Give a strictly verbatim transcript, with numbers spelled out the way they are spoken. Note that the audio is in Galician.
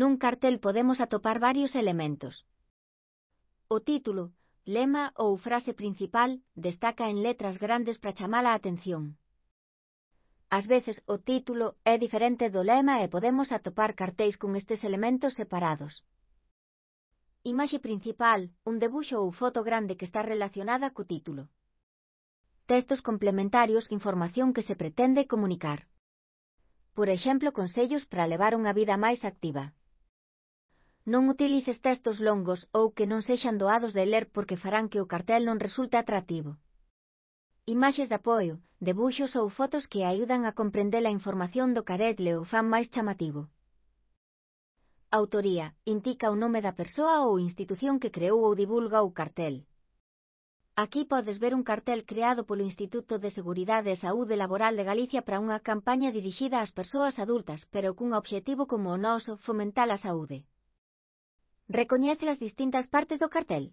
Nun cartel podemos atopar varios elementos. O título, lema ou frase principal destaca en letras grandes para chamar a atención. Ás veces o título é diferente do lema e podemos atopar cartéis con estes elementos separados. Imaxe principal, un debuxo ou foto grande que está relacionada co título. Textos complementarios, información que se pretende comunicar. Por exemplo, consellos para levar unha vida máis activa. Non utilices textos longos ou que non sexan doados de ler porque farán que o cartel non resulte atractivo. Imaxes de apoio, debuxos ou fotos que ayudan a comprender a información do cartel e o fan máis chamativo. Autoría, indica o nome da persoa ou institución que creou ou divulga o cartel. Aquí podes ver un cartel creado polo Instituto de Seguridade e Saúde Laboral de Galicia para unha campaña dirixida ás persoas adultas, pero cun obxectivo como o noso, fomentar a saúde. Recoñece as distintas partes do cartel?